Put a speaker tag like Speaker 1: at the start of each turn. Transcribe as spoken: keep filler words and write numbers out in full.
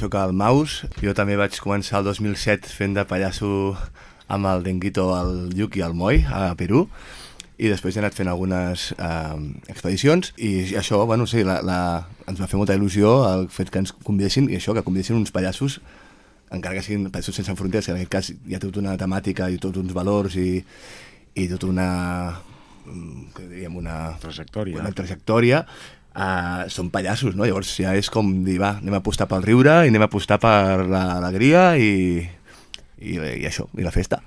Speaker 1: sóc el Maus. Jo també vaig començar el dos mil set fent de pallasso amb el Denguito, el Lluc i el Moi a Perú, i després he anat fent algunes eh, expedicions, i això, bueno, sí, la, la, ens va fer molta il·lusió el fet que ens convidessin, i això, que convidessin uns pallassos, encara que siguin pallassos sense fronteres, que en aquest cas hi ha tota una temàtica i tots uns valors i, i tota una, que diríem, una
Speaker 2: trajectòria,
Speaker 1: una trajectòria Uh, són pallassos, no? Llavors ja és com dir, va, anem a apostar pel riure i anem a apostar per l'alegria i, i, i això, i la festa.